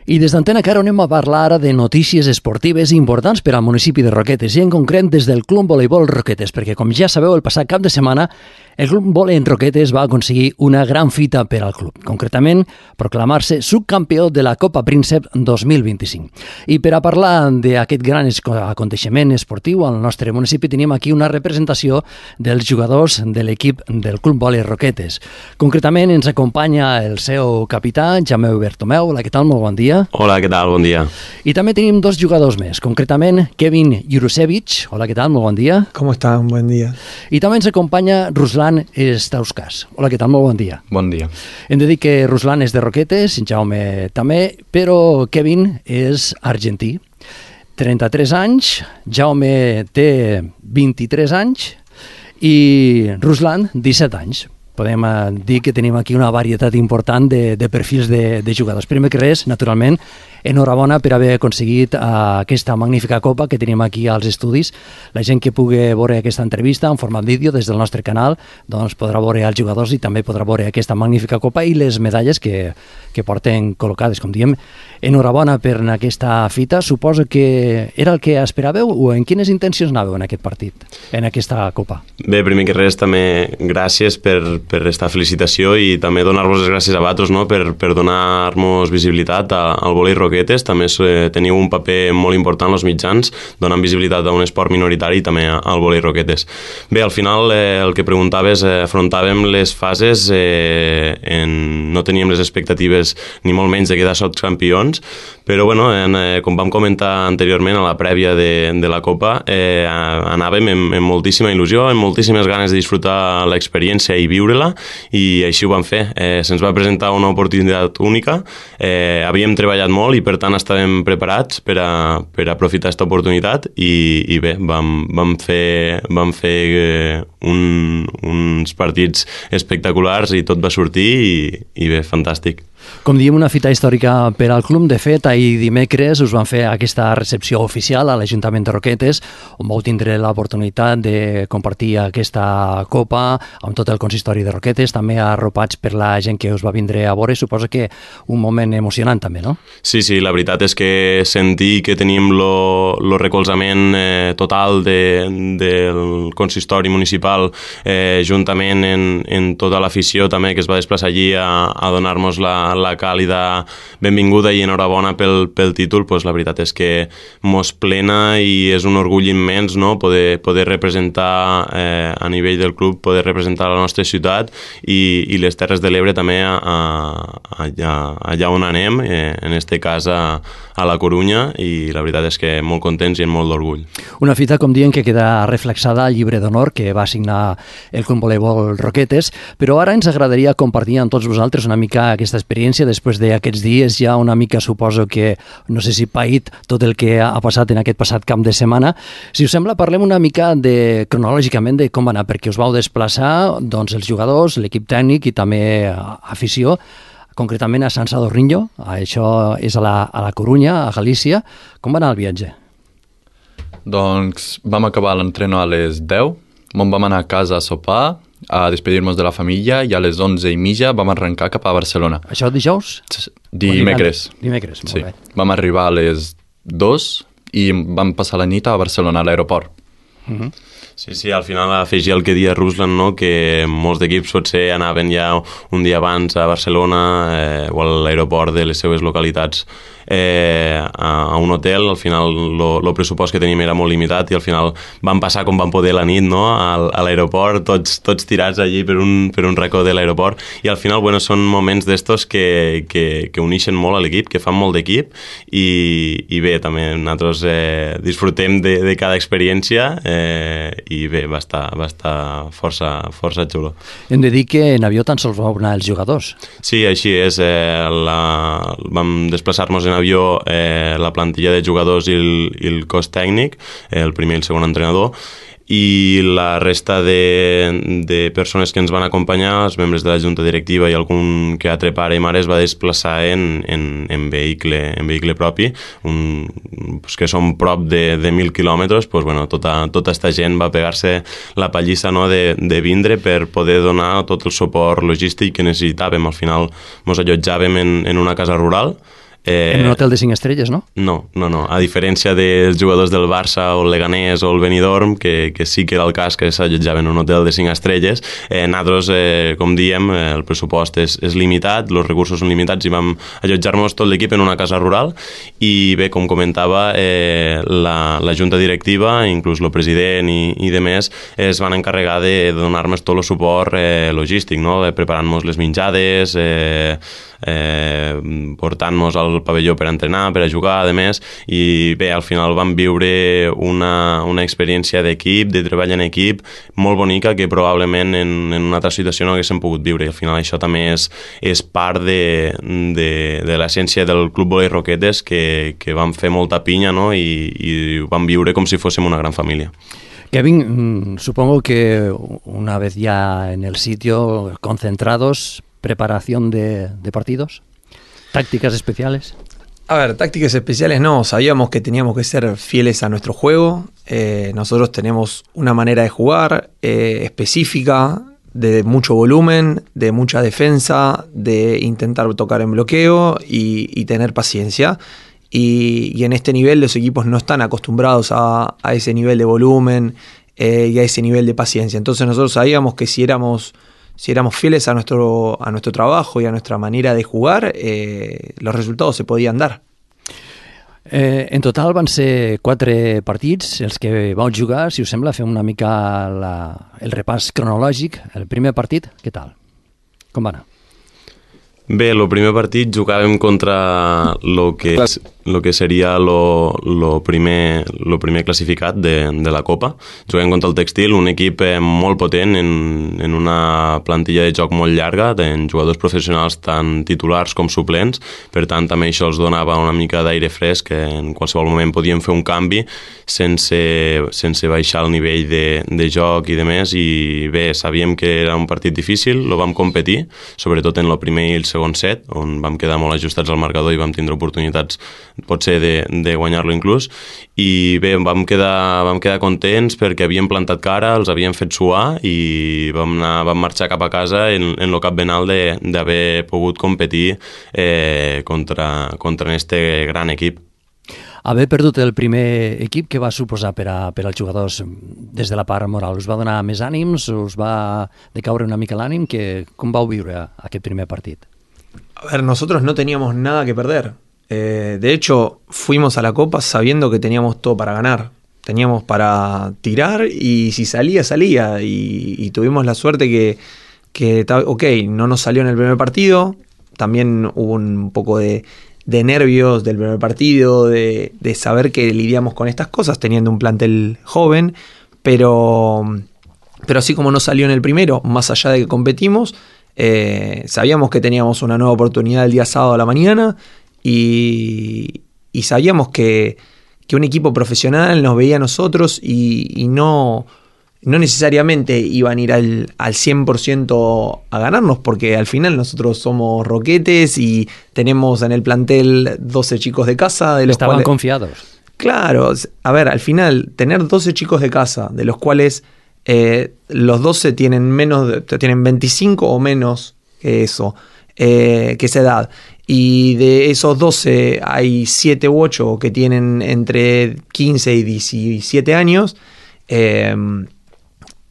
I des d'Antena Caro anem a parlar ara de notícies esportives importants per al municipi de Roquetes i en concret des del Club Voleibol Roquetes, perquè com ja sabeu el passat cap de setmana el Club Voleibol en Roquetes va aconseguir una gran fita per al club, concretament proclamar-se subcampió de la Copa Príncep 2025. I per a parlar d'aquest gran aconteixement esportiu al nostre municipi tenim aquí una representació dels jugadors de l'equip del Club Voleibol Roquetes. Concretament ens acompanya el seu capità, Jaume Bertomeu. Hola, què tal? Molt bon dia. Hola, què tal? Bon dia. I també tenim dos jugadors més, concretament Kevin Jurusevich. Hola, què tal? Molt bon dia. ¿Cómo está? Un buen día. I també ens acompanya Ruslan Stauskas. Hola, què tal? Molt bon dia. Bon dia. Hem de dir que Ruslan és de Roquetes, Jaume també, però Kevin és argentí. 33 anys, Jaume té 23 anys i Ruslan 17 anys. Podem dir que tenim aquí una varietat important de perfils de jugadors. Primer que res, naturalment, enhorabona per haver aconseguit aquesta magnífica copa que tenim aquí als estudis. La gent que pugui veure aquesta entrevista en format vídeo des del nostre canal doncs podrà veure els jugadors i també podrà veure aquesta magnífica copa i les medalles que porten col·locades. Com diem, enhorabona per aquesta fita. Suposo que era el que esperàveu o en quines intencions anàveu en aquest partit, en aquesta copa? Bé, primer que res, també gràcies per aquesta felicitació i també donar-vos les gràcies a vosaltres, no? per donar-nos visibilitat al volei Roquetes. També teniu un paper molt important als mitjans, donant visibilitat a un esport minoritari i també al volei Roquetes. Bé, al final el que preguntaves, afrontàvem les fases, no teníem les expectatives ni molt menys de quedar campions, però bueno, com vam comentar anteriorment a la prèvia de la Copa, anàvem amb moltíssima il·lusió, amb moltíssimes ganes de disfrutar l'experiència i viure-la, i així ho vam fer. Se'ns va presentar una oportunitat única, havíem treballat molt i per tant estàvem preparats per aprofitar aquesta oportunitat i bé, vam fer uns partits espectaculars i tot va sortir i bé, fantàstic. Com diem, una fita històrica per al club. De fet, ahir dimecres us van fer aquesta recepció oficial a l'Ajuntament de Roquetes, on vau tindre l'oportunitat de compartir aquesta copa amb tot el consistori de Roquetes, també arropats per la gent que us va vindre a veure. Suposo que un moment emocionant també, no? Sí, la veritat és que sentir que tenim el recolzament total del consistori municipal juntament en tota l'afició també que es va desplaçar allí a donar-nos la càlida benvinguda i enhorabona pel títol, doncs la veritat és que mos plena i és un orgull immens, no? poder representar a nivell del club, poder representar la nostra ciutat i les Terres de l'Ebre també allà on anem, en este cas a la Corunya, i la veritat és que molt contents i amb molt d'orgull. Una fita, com diuen, que queda reflexada al llibre d'honor que va signar el Club Voleibol Roquetes, però ara ens agradaria compartir amb tots vosaltres una mica aquesta experiència després d'aquests dies, ja una mica suposo que, no sé si paït tot el que ha passat en aquest passat cap de setmana. Si us sembla, parlem una mica cronològicament de com va anar, perquè us vau desplaçar doncs, els jugadors, l'equip tècnic i també afició, concretament a Sant Sadurniño, això és a la Corunya, a Galícia. Com va anar el viatge? Doncs vam acabar l'entreno a les 10, vam anar a casa a sopar, a despedir-nos de la família i a les 11:30 vam arrencar cap a Barcelona. Això dijous? Dimecres. Dimecres, molt bé. Vam arribar a les 2 i vam passar la nit a Barcelona, a l'aeroport. Sí, al final afegir el que dia Ruslan, no? Que molts d'equips potser anaven ja un dia abans a Barcelona o a l'aeroport de les seves localitats a un hotel. Al final el pressupost que teníem era molt limitat i al final vam passar com vam poder la nit, no? A l'aeroport, tots tirats allí per un racó de l'aeroport, i al final són moments d'estos que uneixen molt a l'equip, que fan molt d'equip, i bé, també nosaltres disfrutem de cada experiència i bé, va estar força xulo. Hem de dir que en avió tan sols vau anar els jugadors. Sí, així és. Vam desplaçar-nos en avió la plantilla de jugadors i el cos tècnic, el primer i el segon entrenador, i la resta de persones que ens van acompanyar, els membres de la junta directiva i algun que altre pare i mare, es va desplaçar en vehicle propi, que són prop de 1.000 quilòmetres. Tota aquesta gent va pegar-se la pallissa, no, de vindre per poder donar tot el suport logístic que necessitàvem. Al final ens allotjàvem en una casa rural En un hotel de 5 estrelles, no? No. A diferència dels jugadors del Barça o el Leganés o el Benidorm, que sí que era el cas que s'allotjaven en un hotel de 5 estrelles, nosaltres, com diem, el pressupost és limitat, els recursos són limitats i vam allotjar-nos tot l'equip en una casa rural i bé, com comentava, la junta directiva, inclús el president i demés, es van encarregar de donar-nos tot el suport logístic, no? Preparant-nos les menjades, portant-nos al pavelló per entrenar, per a jugar, a més, i bé, al final vam viure una experiència d'equip, de treball en equip, molt bonica, que probablement en una altra situació no haguéssim pogut viure, i al final això també és part de l'essència del Club Volei Roquetes, que vam fer molta pinya, no? I ho vam viure com si fóssim una gran família. Kevin, supongo que una vez ya en el sitio, concentrados, preparación de partidos, tácticas especiales. A ver, tácticas especiales no, sabíamos que teníamos que ser fieles a nuestro juego. Nosotros tenemos una manera de jugar específica, de mucho volumen, de mucha defensa, de intentar tocar en bloqueo y tener paciencia. Y en este nivel los equipos no están acostumbrados a ese nivel de volumen y a ese nivel de paciencia. Entonces nosotros sabíamos que si éramos fieles a nuestro trabajo y a nuestra manera de jugar, los resultados se podien dar. En total van ser 4 partits els que vau jugar. Si us sembla, fem una mica el repàs cronològic. El primer partit, què tal? Com va anar? Bé, el primer partit jugàvem contra lo que seria lo primer classificat de la Copa. Juguem contra el Textil, un equip molt potent en una plantilla de joc molt llarga, en jugadors professionals tant titulars com suplents. Per tant, també això els donava una mica d'aire fresc, que en qualsevol moment podíem fer un canvi sense baixar el nivell de joc i de més. I bé, sabíem que era un partit difícil, lo vam competir, sobretot en el primer i el segon set, on vam quedar molt ajustats al marcador i vam tindre oportunitats potser de guanyar-lo inclús, i bé, vam quedar contents perquè havíem plantat cara, els havíem fet suar i vam marxar cap a casa en el cap ben alt d'haver pogut competir contra este gran equip. Haver perdut el primer equip, què va suposar per als jugadors des de la part moral? Us va donar més ànims? Us va decaure una mica l'ànim? Com vau viure aquest primer partit? A ver, nosotros no teníamos nada que perder. De hecho, fuimos a la Copa sabiendo que teníamos todo para ganar. Teníamos para tirar y si salía, salía. Y tuvimos la suerte que no nos salió en el primer partido. También hubo un poco de nervios del primer partido, de saber que lidiamos con estas cosas teniendo un plantel joven. Pero así como no salió en el primero, más allá de que competimos, sabíamos que teníamos una nueva oportunidad el día sábado a la mañana y sabíamos que un equipo profesional nos veía a nosotros y no necesariamente iban a ir al 100% a ganarnos, porque al final nosotros somos Roquetes y tenemos en el plantel 12 chicos de casa. Estaban confiados. Claro, a ver, al final tener 12 chicos de casa, de los cuales los 12 tienen 25 o menos que eso, que esa edad, y de esos 12 hay 7 u 8 que tienen entre 15 y 17 años.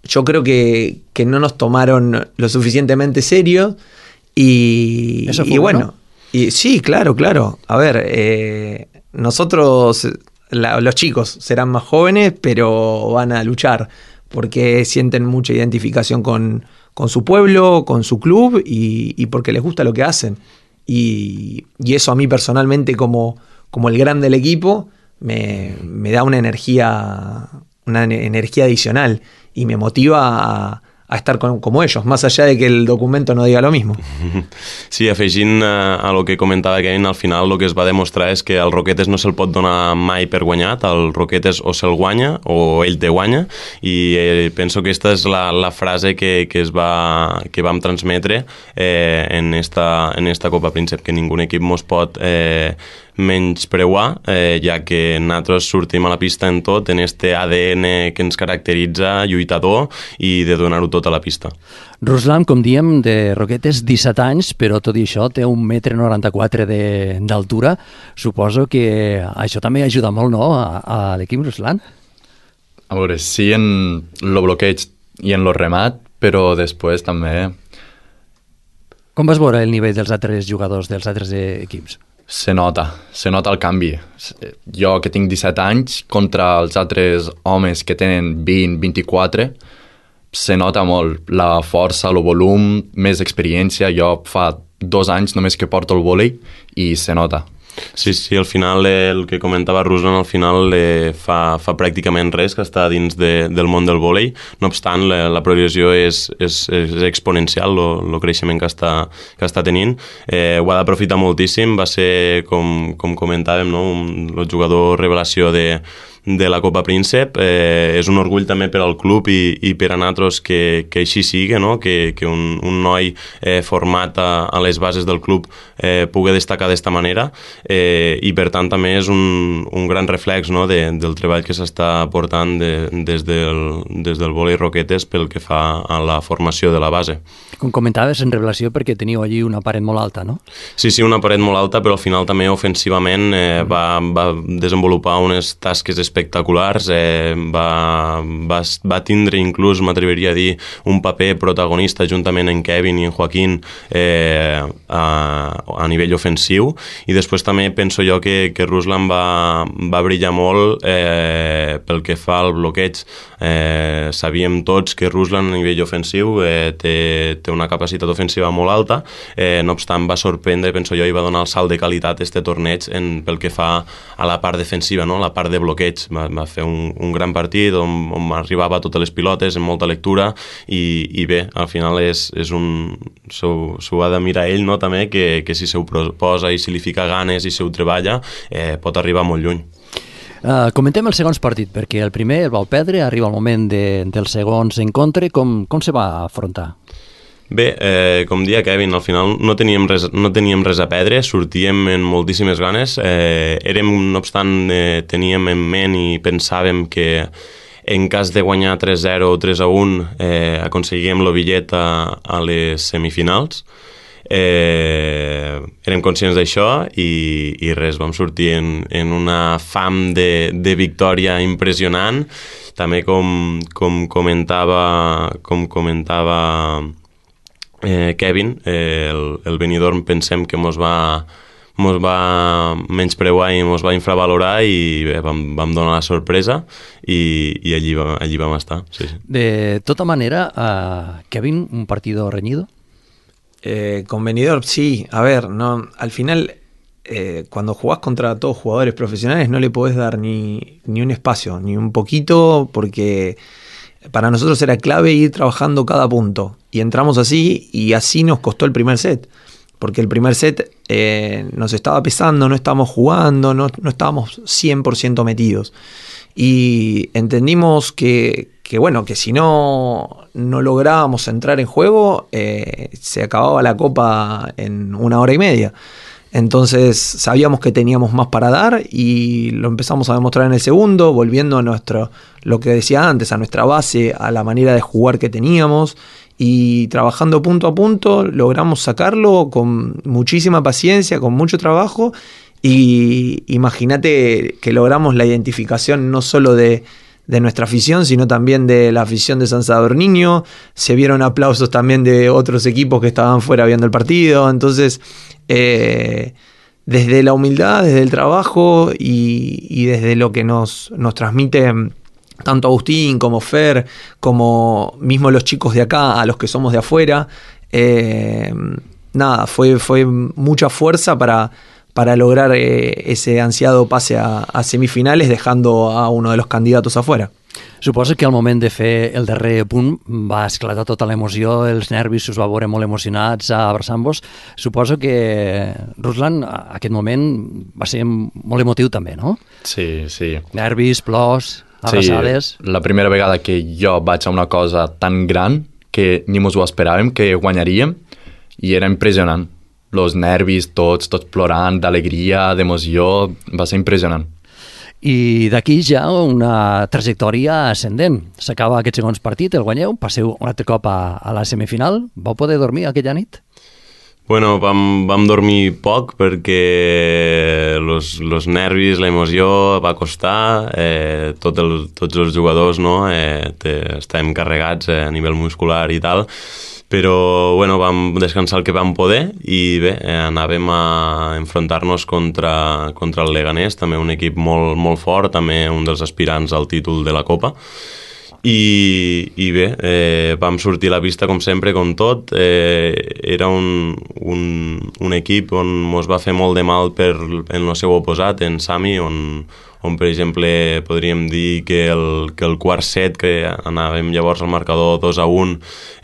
Yo creo que no nos tomaron lo suficientemente serio y bueno, ¿no? Y sí, claro. A ver, nosotros, los chicos serán más jóvenes, pero van a luchar porque sienten mucha identificación con su pueblo, con su club y porque les gusta lo que hacen. Y eso a mí personalmente como el gran del equipo me da una energía adicional y me motiva a estar como ellos, más allá de que el documento no diga lo mismo. Sí, afegint a lo que comentava Kevin, al final el que es va demostrar és que al Roquetes no se'l pot donar mai per guanyat, al Roquetes o se'l guanya o ell te guanya, i penso que aquesta és la frase que vam transmetre en esta Copa Príncep, que ningú equip mos pot menyspreuar, ja que nosaltres sortim a la pista en tot, en este ADN que ens caracteritza, lluitador, i de donar-ho tot a la pista. Ruslan, com diem, de Roquetes, 17 anys, però tot i això té 1,94 m d'altura. Suposo que això també ajuda molt, no?, a l'equip, Ruslan? A veure, sí en lo bloqueig i en lo remat, però després també Com vas veure el nivell dels altres jugadors, dels altres equips? se nota el canvi. Jo que tinc 17 anys contra els altres homes que tenen 20, 24, se nota molt la força, el volum, més experiència. Jo fa 2 anys només que porto el vòlei i se nota. Sí, al final el que comentava Ruslan al final fa pràcticament res que està dins del món del vòlei. No obstant, la progressió és exponencial, el creixement que està tenint. Ho ha d'aprofitar moltíssim, va ser, com comentàvem, no? El jugador revelació de la Copa Príncep. És un orgull també per al club i per a nosaltres que així sigui, no? que un noi format a les bases del club pugui destacar d'esta manera, i per tant també és un gran reflex, no? del treball que s'està portant des del vòlei Roquetes pel que fa a la formació de la base. Com comentaves, en revelació perquè teniu allí una paret molt alta, no? Sí, una paret molt alta, però al final també ofensivament va desenvolupar unes tasques espectaculars, va tindre inclús, m'atreviria a dir, un paper protagonista juntament amb Kevin i en Joaquín a nivell ofensiu, i després també penso jo que Ruslan va brillar molt pel que fa al bloqueig. Sabíem tots que Ruslan a nivell ofensiu té una capacitat ofensiva molt alta, no obstant va sorprendre, penso jo, i va donar el salt de qualitat a este torneig pel que fa a la part defensiva, no? La part de bloqueig. Va fer un gran partit on arribava a totes les pilotes amb molta lectura i bé, al final s'ho ha de mirar ell, no? També que si s'ho proposa i si li fica ganes i si ho treballa pot arribar molt lluny. Comentem els segons partit, perquè el primer el vau perdre, arriba el moment dels segons encontre. Com se va afrontar? Bé, com dia Kevin, al final no teníem res a perdre, sortíem amb moltíssimes ganes. No obstant, teníem en ment i pensàvem que en cas de guanyar 3-0 o 3-1 aconseguíem el bitllet a les semifinals. Érem conscients d'això i res, vam sortir en una fam de victòria impressionant. També com comentava Kevin, el Benidorm pensem que mos va menyspreuar i mos va infravalorar i bé, vam donar la sorpresa i allí vam estar. Sí. De tota manera, Kevin, un partido reñido. Con Benidorm, sí. A ver, no, al final, cuando jugás contra todos jugadores profesionales no le podés dar ni un espacio, ni un poquito, porque para nosotros era clave ir trabajando cada punto. Y entramos así, y así nos costó el primer set. Porque el primer set nos estaba pesando, no estábamos jugando, no estábamos 100% metidos. Y entendimos que si no lográbamos entrar en juego, se acababa la copa en 1 hora y media. Entonces sabíamos que teníamos más para dar y lo empezamos a demostrar en el segundo, volviendo a lo que decía antes, a nuestra base, a la manera de jugar que teníamos, y trabajando punto a punto logramos sacarlo con muchísima paciencia, con mucho trabajo, y imagínate que logramos la identificación no solo de nuestra afición, sino también de la afición de San Sadurniño. Se vieron aplausos también de otros equipos que estaban fuera viendo el partido. Entonces, desde la humildad, desde el trabajo y desde lo que nos transmite tanto Agustín como Fer, como mismo los chicos de acá, a los que somos de afuera, fue mucha fuerza para lograr ese ansiado pase a semifinales, dejando a uno de los candidatos afuera. Suposo que al moment de fer el darrer punt va esclatar tota l'emoció, els nervis us va veure molt emocionats abraçant-vos. Suposo que, Ruslan, aquest moment va ser molt emotiu també, no? Sí. Nervis, plors, abraçades... Sí, la primera vegada que jo vaig a una cosa tan gran que ni mos ho esperàvem, que guanyaríem, i era impressionant. los nervis tots plorant, d'alegria, d'emoció, va ser impressionant. I d'aquí ja una trajectòria ascendent. S'acaba aquest segons partit, el guanyeu, passeu un altre cop a la semifinal. Vau poder dormir aquella nit? Bueno, vam dormir poc perquè los nervis, la emoció va costar, tots els jugadors no? Estàvem carregats a nivell muscular i tal, però bueno, vam descansar el que vam poder i bé, anàvem a enfrontar-nos contra el Leganés, també un equip molt, molt fort, també un dels aspirants al títol de la Copa. I bé, vam sortir a la pista com sempre, com tot. Era un equip on ens va fer molt de mal en el seu oposat, en Sami, on per exemple podríem dir que el quart set, que anàvem llavors al marcador 2-1,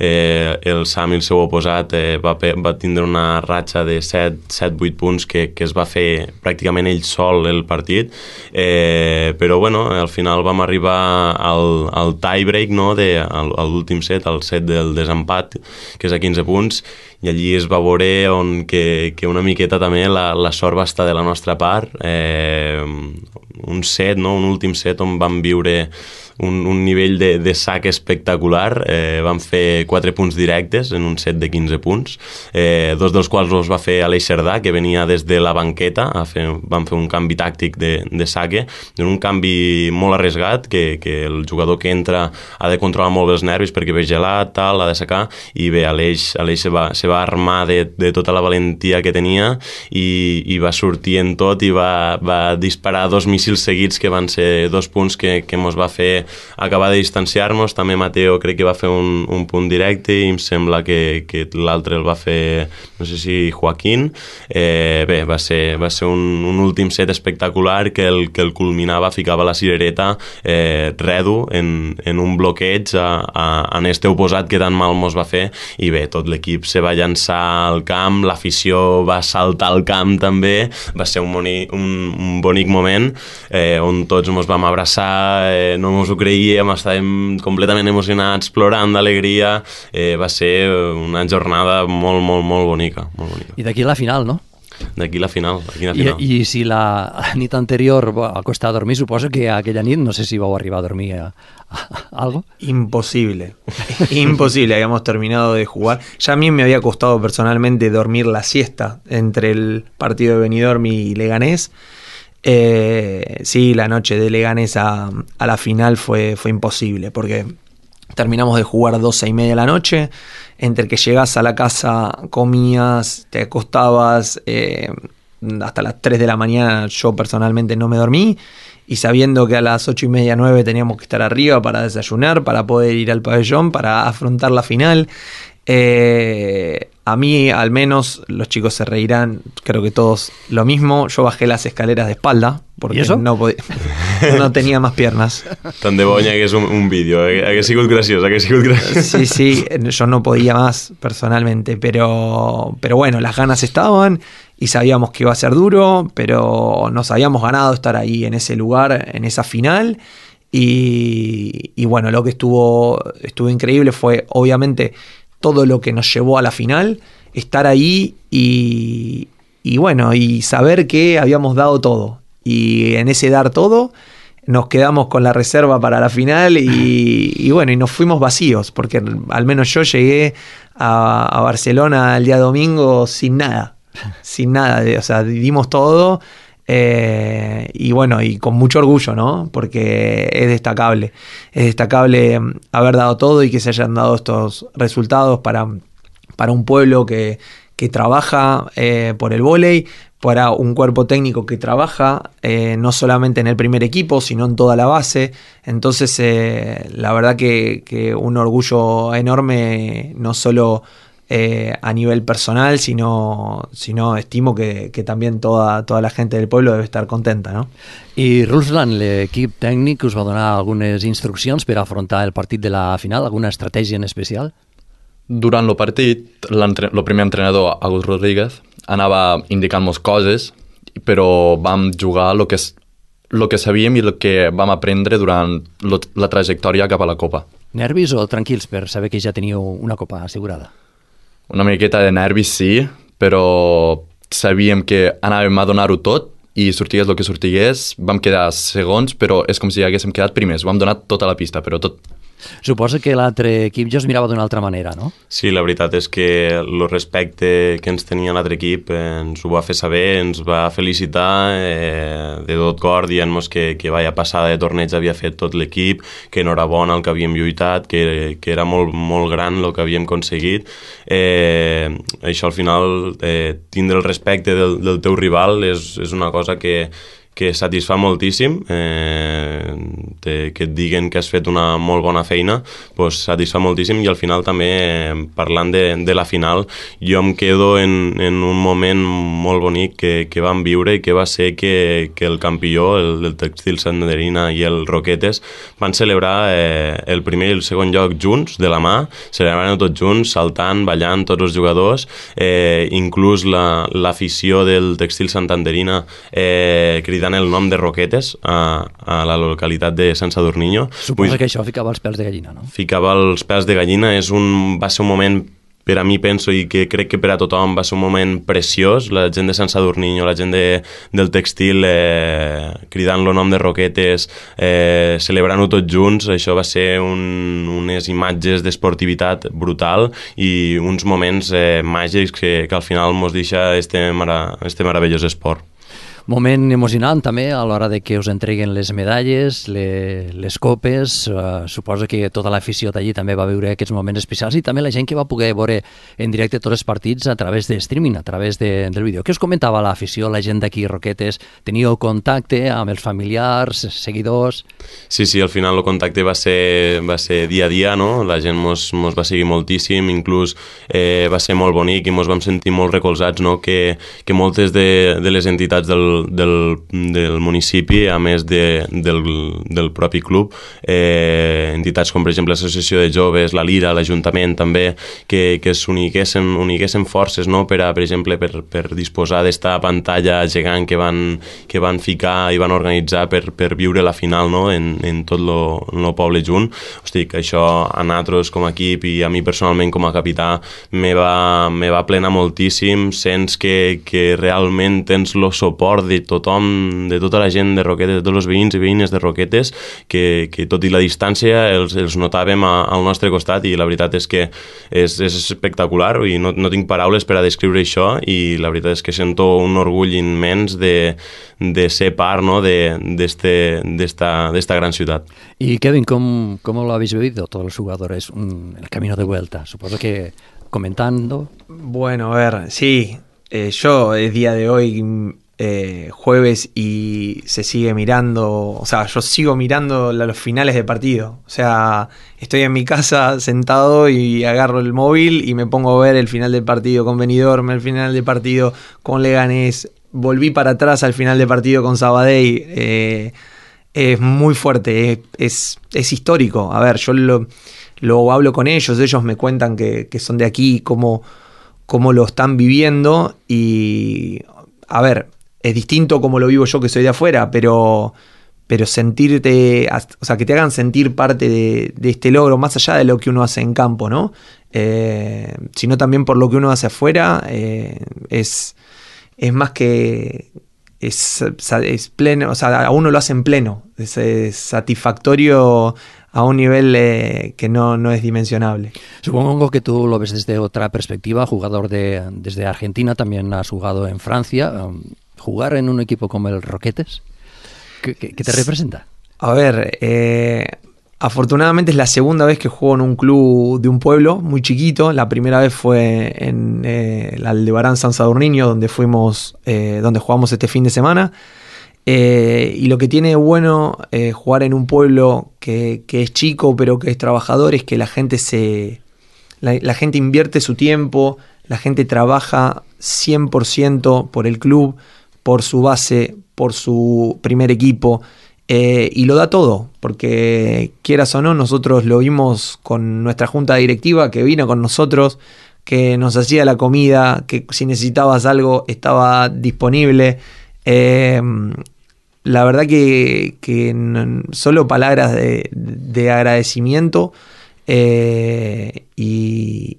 el Sami, el seu oposat, va tindre una ratxa de 7-8 punts que es va fer pràcticament ell sol el partit, però bueno, al final vam arribar al tie-break, no? A l'últim set, al set del desempat, que és a 15 punts, i allí es va veure que una miqueta també la sort va estar de la nostra part, un set, no? Un últim set on vam viure un nivell de sac espectacular. Vam fer 4 punts directes en un set de 15 punts, 2 dels quals els va fer Aleix Cerdà, que venia des de la banqueta. Vam fer un canvi tàctic de saque, un canvi molt arriesgat, que el jugador que entra ha de controlar molt bé els nervis perquè ve gelat, tal, ha de secar, i bé, Aleix se va armar de tota la valentia que tenia i va sortir en tot i va disparar 2 míssils seguits que van ser 2 punts que mos va fer acabar de distanciar-nos. També Mateo crec que va fer un punt directe i em sembla que l'altre el va fer, no sé si Joaquín. Bé, va ser un últim set espectacular que el culminava, ficava la cirereta redo en un bloqueig en este oposat que tan mal mos va fer, i bé, tot l'equip se va llançar al camp, l'afició va saltar al camp també, va ser un bonic moment on tots mos vam abraçar, no mos ho creiem, estàvem completament emocionats, plorant d'alegria. Va ser una jornada molt, molt, molt bonica, molt bonica. I d'aquí la final, no? D'aquí la final. I si la nit anterior va costar dormir, suposo que aquella nit, no sé si vau arribar a dormir algo. Imposible, habíamos terminado de jugar. Ya a mí me había costado personalmente dormir la siesta entre el partido de Benidorm y Leganés. Sí, la noche de Leganés a la final fue imposible, porque terminamos de jugar 12:30 de la noche, entre que llegás a la casa, comías, te acostabas, hasta las 3 de la mañana yo personalmente no me dormí, y sabiendo que a las 8:30, 9 teníamos que estar arriba para desayunar, para poder ir al pabellón, para afrontar la final. A mí, al menos, los chicos se reirán, creo que todos lo mismo. Yo bajé las escaleras de espalda porque no tenía más piernas. Tant de bo hi hagués un vídeo, hagués sigut graciós. Sí, yo no podía más personalmente, pero bueno, las ganas estaban y sabíamos que iba a ser duro, pero nos habíamos ganado estar ahí en ese lugar, en esa final. Y bueno, lo que estuvo increíble fue, obviamente, todo lo que nos llevó a la final, estar ahí y bueno, y saber que habíamos dado todo. Y en ese dar todo nos quedamos con la reserva para la final y bueno, y nos fuimos vacíos, porque al menos yo llegué a Barcelona el día domingo sin nada, o sea, dimos todo. Y bueno, y con mucho orgullo, ¿no? Porque es destacable haber dado todo y que se hayan dado estos resultados para un pueblo que trabaja por el vóley, para un cuerpo técnico que trabaja no solamente en el primer equipo, sino en toda la base. Entonces, la verdad que un orgullo enorme, no solo a nivel personal, sino estimo que también toda la gente del pueblo debe estar contenta, no? I Ruslan, l'equip tècnic, us va donar algunes instruccions per afrontar el partit de la final, alguna estratègia en especial? Durant el partit, el primer entrenador, Agus Rodríguez, anava indicant-nos coses, però vam jugar el que sabíem i el que vam aprendre durant la trajectòria cap a la Copa. Nervis o tranquils per saber que ja teníeu una Copa assegurada? Una miqueta de nervis, sí, però sabíem que anàvem a donar-ho tot i sortigués el que sortigués, vam quedar segons, però és com si haguéssim quedat primers. Vam donar tota la pista, però tot. Suposo que l'altre equip ja us mirava d'una altra manera, no? Sí, la veritat és que el respecte que ens tenia l'altre equip ens ho va fer saber, ens va felicitar de tot cor, dient-nos que vaya passada de torneig havia fet tot l'equip, que enhorabona el que havíem lluitat, que era molt, molt gran el que havíem aconseguit. Això al final, tindre el respecte del teu rival és una cosa que satisfà moltíssim, que et diguen que has fet una molt bona feina, doncs satisfà moltíssim, i al final també, parlant de la final, jo em quedo en un moment molt bonic que vam viure, i que va ser que el campió, el Textil Santanderina i el Roquetes, van celebrar el primer i el segon lloc junts, de la mà, celebrant tots junts, saltant, ballant, tots els jugadors, inclús l'afició del Textil Santanderina cridant el nom de Roquetes a la localitat de Sant Sadurniño. Suposo que això ficava els pèls de gallina, no? Ficava els pèls de gallina, va ser un moment, per a mi penso, i que crec que per a tothom va ser un moment preciós, la gent de Sant Sadurniño, la gent del Textil cridant el nom de Roquetes, celebrant-ho tots junts. Això va ser unes imatges d'esportivitat brutal i uns moments màgics que al final ens deixa este meravellós esport. Moment emocionant també a l'hora de que us entreguen les medalles, les copes. Suposo que tota l'afició d'allí també va viure aquests moments especials, i també la gent que va poder veure en directe tots els partits a través de streaming, a través del vídeo. Què us comentava l'afició, la gent d'aquí Roquetes? Teníeu contacte amb els familiars, seguidors? Sí, al final el contacte va ser dia a dia, no? La gent mos va seguir moltíssim, inclús va ser molt bonic i mos vam sentir molt recolzats, no? Que moltes de les entitats del municipi, a més del propi club, entitats com per exemple l'Associació de Joves, la Lira, l'Ajuntament també, que s'uniguessin forces, no? Per exemple, per disposar d'esta pantalla gegant que van ficar i van organitzar per viure la final, no? En tot el poble junt. Hosti, que això a nosaltres com a equip i a mi personalment com a capità me va plenar moltíssim. Sents que realment tens el suport de tothom, de tota la gent de Roquetes, de tots els veïns i veïnes de Roquetes, que tot i la distància els notàvem al nostre costat, i la veritat és que és espectacular, i no tinc paraules per a descriure això, i la veritat és que sento un orgull immens de ser part, no? d'esta gran ciutat. Y Kevin, ¿cómo lo habéis vivido todos los jugadores el camino de vuelta? Supongo que comentando. Bueno, a ver, sí, yo es día de hoy, jueves, y se sigue mirando, o sea, yo sigo mirando los finales de partido. O sea, estoy en mi casa sentado y agarro el móvil y me pongo a ver el final del partido con Benidorm, el final del partido con Leganés. Volví para atrás al final del partido con Sabadell. Es muy fuerte, es histórico. A ver, yo lo hablo con ellos me cuentan que son de aquí, cómo lo están viviendo, y a ver, es distinto como lo vivo yo, que soy de afuera, pero sentirte, o sea, que te hagan sentir parte de este logro, más allá de lo que uno hace en campo, ¿no? Sino también por lo que uno hace afuera, es más que es pleno, o sea, a uno lo hace en pleno, es satisfactorio a un nivel que no es dimensionable. Supongo que tú lo ves desde otra perspectiva, jugador desde Argentina, también has jugado en Francia. Jugar en un equipo como el Roquetes, ¿qué te representa? A ver, afortunadamente es la segunda vez que juego en un club de un pueblo muy chiquito. La primera vez fue en el Aldebarán San Sadurniño, donde jugamos este fin de semana. Y lo que tiene de bueno jugar en un pueblo que es chico pero que es trabajador es que la gente la gente invierte su tiempo, la gente trabaja 100% por el club, por su base, por su primer equipo, y lo da todo, porque quieras o no, nosotros lo vimos con nuestra junta directiva que vino con nosotros, que nos hacía la comida, que si necesitabas algo estaba disponible. La verdad que solo palabras de agradecimiento, y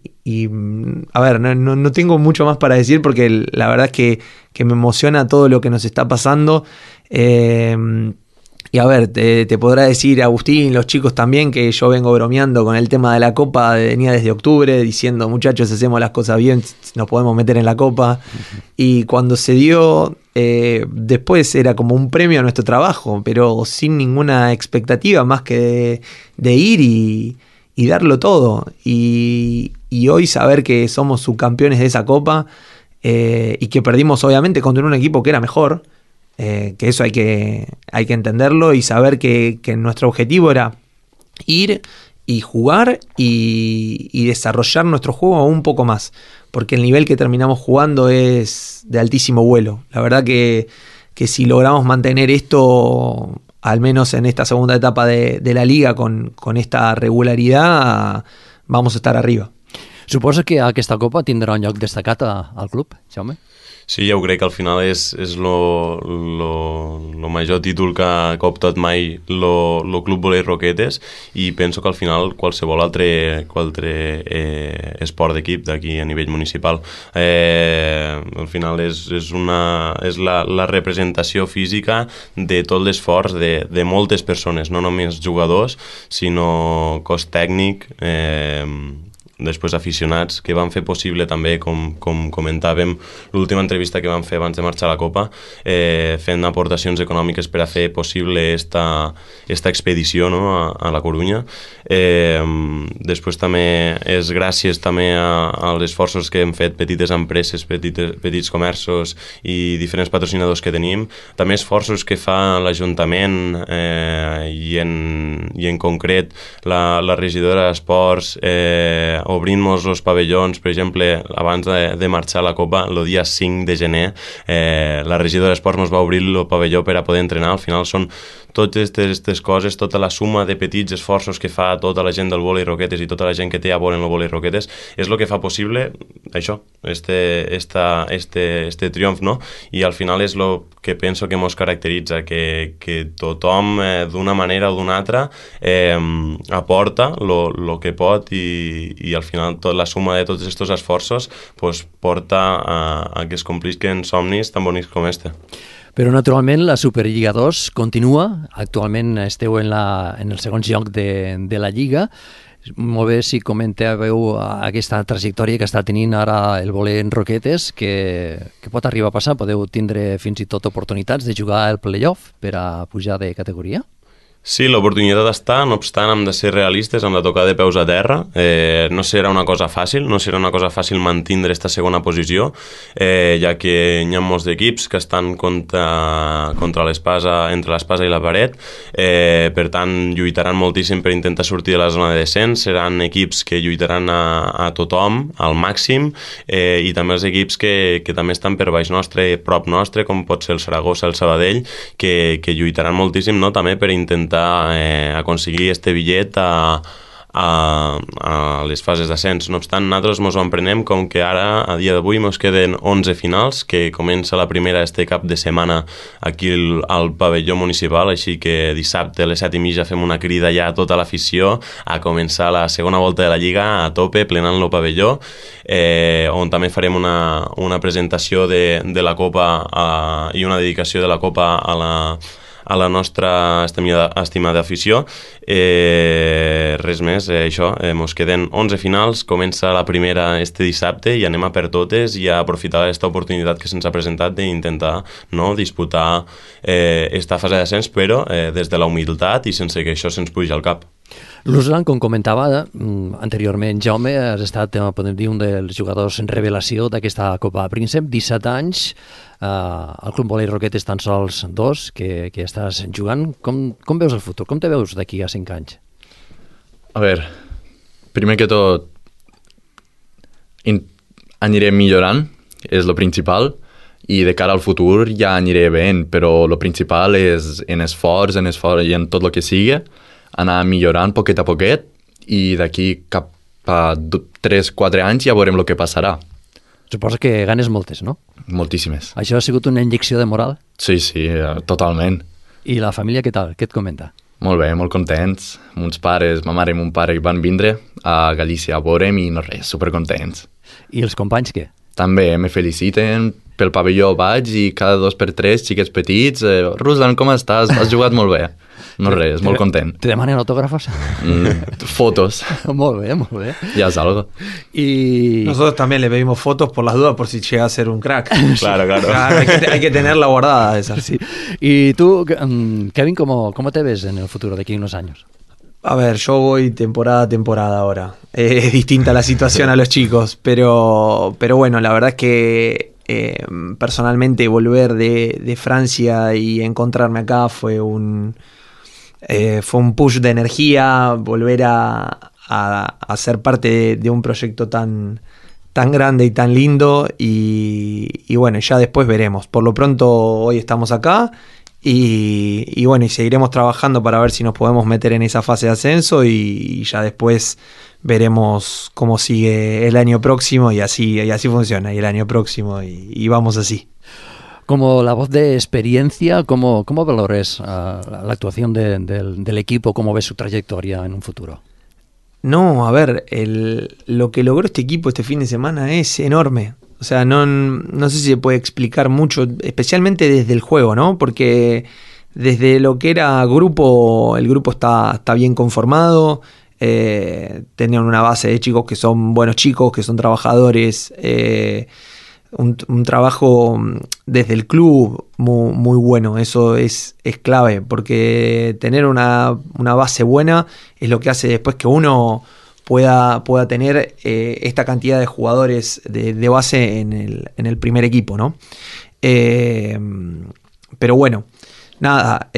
a ver, no tengo mucho más para decir porque la verdad es que me emociona todo lo que nos está pasando. Y a ver, te podrá decir Agustín, los chicos también, que yo vengo bromeando con el tema de la Copa, venía desde octubre diciendo, muchachos, hacemos las cosas bien, nos podemos meter en la Copa. Y cuando se dio, después era como un premio a nuestro trabajo, pero sin ninguna expectativa más que de ir y darlo todo. Y hoy saber que somos subcampeones de esa Copa y que perdimos obviamente contra un equipo que era mejor, que eso hay que entenderlo y saber que nuestro objetivo era ir y jugar y desarrollar nuestro juego un poco más, porque el nivel que terminamos jugando es de altísimo vuelo. La verdad que si logramos mantener esto, al menos en esta segunda etapa de la Liga, con esta regularidad, vamos a estar arriba. Suposo que aquesta Copa tindrà un lloc destacat al club, Jaume? Sí, jo crec que al final és lo major títol que ha optat mai lo Club Volei Roquetes, i penso que al final qualsevol altre esport d'equip d'aquí a nivell municipal al final és la representació física de tot l'esforç de moltes persones, no només jugadors, sinó cos tècnic, després aficionats, que van fer possible també, com comentàvem, l'última entrevista que van fer abans de marxar a la Copa, fent aportacions econòmiques per a fer possible esta expedició, no, a la Corunya. Després també és gràcies també als esforços que hem fet petites empreses, petits comerços i diferents patrocinadors que tenim, també esforços que fa l'Ajuntament i en concret la regidora d'Esports, obrint-nos els pavellons. Per exemple, abans de marxar a la Copa, el dia 5 de gener, la regidora d'Esports ens va obrir el pavelló per a poder entrenar. Al final són totes aquestes coses, tota la suma de petits esforços que fa tota la gent del Volei Roquetes i tota la gent que té a veure en el Volei Roquetes és el que fa possible això, este triomf, no? I al final és el que penso que ens caracteritza, que tothom d'una manera o d'una altra aporta el que pot i al final la suma de tots aquests esforços porta a que es complisquen somnis tan bonics com este. Però, naturalment, la Superliga 2 continua. Actualment esteu en el segon lloc de la Lliga. Molt bé si comentàveu aquesta trajectòria que està tenint ara el Volei Roquetes, que pot arribar a passar. Podeu tindre fins i tot oportunitats de jugar al playoff per a pujar de categoria? Sí, l'oportunitat està, no obstant hem de ser realistes, hem de tocar de peus a terra. No serà una cosa fàcil mantindre aquesta segona posició, ja que hi ha molts equips que estan entre l'espasa i la paret, per tant lluitaran moltíssim per intentar sortir de la zona de descens, seran equips que lluitaran a tothom, al màxim, i també els equips que també estan per baix nostre, prop nostre, com pot ser el Saragossa, el Sabadell, que lluitaran moltíssim, no?, també per intentar aconseguir este bitllet a les fases d'ascens. No obstant, nosaltres ens ho emprenem com que ara, a dia d'avui, ens queden 11 finals, que comença la primera este cap de setmana aquí al pavelló municipal, així que dissabte a les 7:30 fem una crida ja a tota l'afició a començar la segona volta de la Lliga a tope, plenant el pavelló, on també farem una presentació de la Copa i una dedicació de la Copa a la nostra estimada afició. Res més, això, ens queden 11 finals, comença la primera este dissabte i anem a per totes i a aprofitar aquesta oportunitat que se'ns ha presentat d'intentar disputar esta fase d'ascens, però des de la humilitat i sense que això se'ns pugi al cap. Ruslan, com comentava anteriorment Jaume, has estat, podem dir, un dels jugadors en revelació d'aquesta Copa Príncep, 17 anys, al Club Volei Roquetes tan sols 2 que estàs jugant. Com veus el futur? Com te veus d'aquí a 5 anys? A veure, primer que tot aniré millorant, és el principal, i de cara al futur ja aniré bé, però el principal és en esforç i en tot el que sigui, anar millorant poquet a poquet, i d'aquí cap a 3-4 anys ja veurem el que passarà. Suposo que ganes moltes, no? Moltíssimes. Això ha sigut una injecció de moral? Sí, totalment. I la família què tal? Què et comenta? Molt bé, molt contents. Mons pares, ma mare i mon pare van vindre a Galícia a veure'm i no res, supercontents. I els companys què? També me feliciten, pel pavelló vaig i cada 2 per 3 xiquets petits, Ruslan, com estàs? Has jugat molt bé. No res, molt content. Te demanen autògrafos? Fotos. Molt bé, molt bé. Ya es algo. Y Nosotros también le pedimos fotos por las dudas por si llega a ser un crack. Claro, claro. Hay que tenerla guardada esa. sí. Y tú, Kevin, ¿cómo te ves en el futuro de aquí a unos años? A ver, yo voy temporada a temporada ahora. Es distinta la situación a los chicos, pero bueno, la verdad es que personalmente volver de Francia y encontrarme acá fue un push de energía, volver a ser parte de un proyecto tan grande y tan lindo y bueno, ya después veremos. Por lo pronto hoy estamos acá y bueno, y seguiremos trabajando para ver si nos podemos meter en esa fase de ascenso y ya después veremos cómo sigue el año próximo y así funciona, y el año próximo y vamos así. Como la voz de experiencia, ¿cómo valores la actuación del equipo? ¿Cómo ves su trayectoria en un futuro? No, a ver, lo que logró este equipo este fin de semana es enorme. O sea, no sé si se puede explicar mucho, especialmente desde el juego, ¿no? Porque desde lo que era grupo, el grupo está bien conformado, tenían una base de chicos que son buenos chicos, que son trabajadores, un trabajo desde el club muy bueno. Eso es clave, porque tener una base buena es lo que hace después que uno pueda tener esta cantidad de jugadores de base en el primer equipo, ¿no? Pero bueno, nada,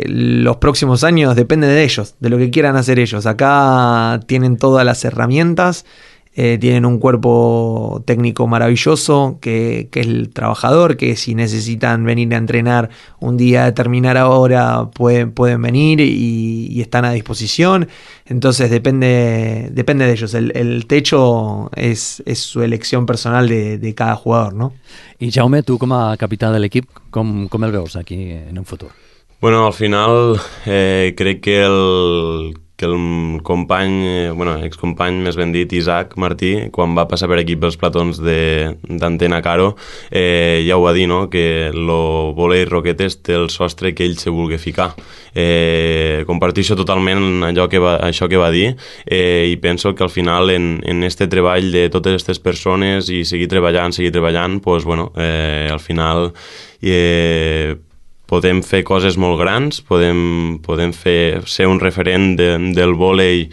los próximos años dependen de ellos, de lo que quieran hacer ellos. Acá tienen todas las herramientas, tienen un cuerpo técnico maravilloso, que es el trabajador, que si necesitan venir a entrenar un día a determinada hora pueden venir y están a disposición. Entonces depende de ellos. El techo es su elección personal de cada jugador, ¿no? I Jaume, tu com a capità de l'equip, com el veus aquí en un futur? Bueno, al final crec que el company, excompany més ben dit, Isaac Martí, quan va passar per aquí pels platons d'Antena Caro, ja ho va dir, no?, que el vòlei Roquetes té el sostre que ell se vulgui ficar. Comparteixo totalment això que va dir i penso que al final en este treball de totes aquestes persones i seguir treballant, pues, bueno, al final podem fer coses molt grans, podem ser un referent del vòlei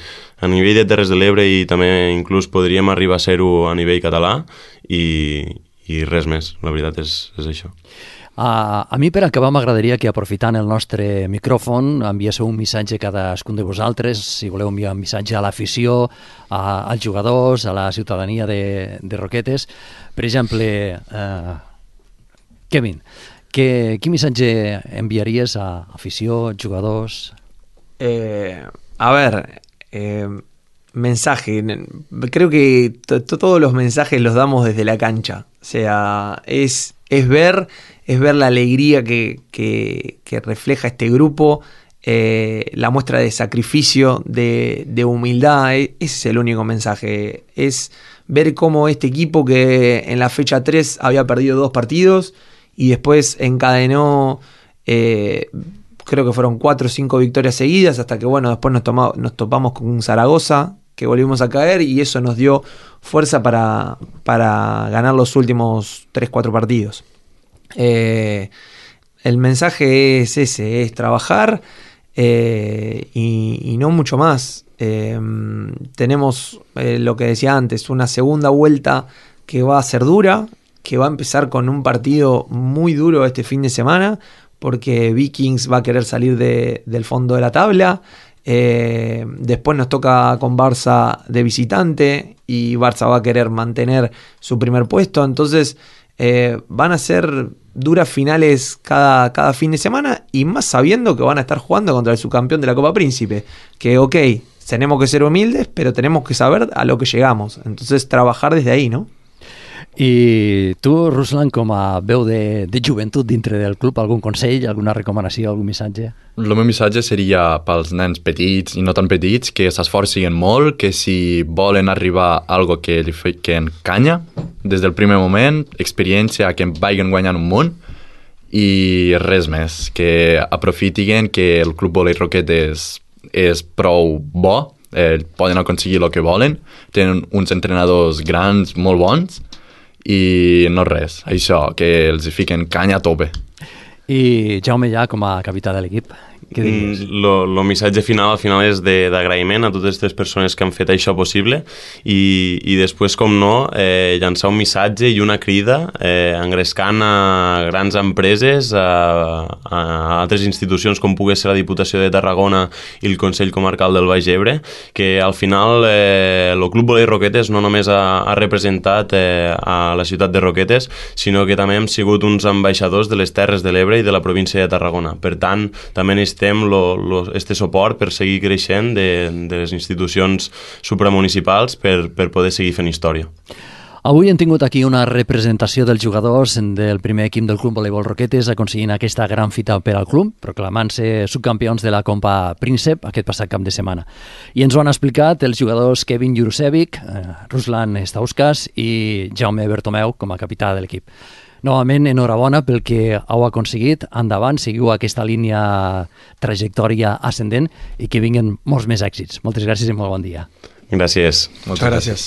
a nivell de Terres de l'Ebre i també inclús podríem arribar a ser-ho a nivell català i res més, la veritat és això. A mi, per acabar, m'agradaria que, aprofitant el nostre micròfon, enviéssiu un missatge a cadascun de vosaltres, si voleu enviar un missatge a l'afició, als jugadors, a la ciutadania de Roquetes. Per exemple, Kevin, quin missatge enviaries a afició, jugadors? A ver, mensaje. Creo que todos los mensajes los damos desde la cancha. O sea, es ver la alegría que refleja este grupo, la muestra de sacrificio, de humildad. Ese es el único mensaje. Es ver cómo este equipo, que en la fecha 3 había perdido 2 partidos y después encadenó, creo que fueron 4 o 5 victorias seguidas, hasta que bueno, después nos topamos con Zaragoza, que volvimos a caer, y eso nos dio fuerza para ganar los últimos 3-4 partidos. El mensaje es ese, es trabajar y no mucho más. Tenemos lo que decía antes, una segunda vuelta que va a ser dura, que va a empezar con un partido muy duro este fin de semana, porque Vikings va a querer salir del fondo de la tabla. Después nos toca con Barça de visitante y Barça va a querer mantener su primer puesto. Entonces van a ser duras finales cada fin de semana, y más sabiendo que van a estar jugando contra el subcampeón de la Copa Príncipe, que ok, tenemos que ser humildes, pero tenemos que saber a lo que llegamos. Entonces trabajar desde ahí, ¿no? I tu, Ruslan, com a veu de joventut dintre del club, algun consell, alguna recomanació, algun missatge? El meu missatge seria pels nens petits i no tan petits que s'esforcin molt, que si volen arribar a algo que encanya, des del primer moment, experiència, que vagin guanyant un munt, i res més, que aprofitin que el Club Volei Roquetes és prou bo, poden aconseguir el que volen, tenen uns entrenadors grans, molt bons, i no res, això, que els fiquen canya a tope. I Jaume, ja com a capità de l'equip, què diries? El missatge final al final és d'agraïment a totes les persones que han fet això possible i després, com no, llançar un missatge i una crida engrescant a grans empreses, a altres institucions com pugui ser la Diputació de Tarragona i el Consell Comarcal del Baix Ebre, que al final el Club Volei Roquetes no només ha representat a la ciutat de Roquetes, sinó que també hem sigut uns ambaixadors de les Terres de l'Ebre i de la província de Tarragona. Per tant, també necessitem este suport per seguir creixent de les institucions supramunicipals per poder seguir fent història. Avui hem tingut aquí una representació dels jugadors del primer equip del Club Voleibol Roquetes aconseguint aquesta gran fita per al club, proclamant-se subcampions de la Copa Príncep aquest passat cap de setmana. I ens ho han explicat els jugadors Kevin Jurusevic, Ruslan Stauskas i Jaume Bertomeu com a capità de l'equip. Novament, enhorabona pel que heu aconseguit. Endavant, seguiu aquesta línia trajectòria ascendent i que vinguin molts més èxits. Moltes gràcies i molt bon dia. Gràcies. Moltes gràcies.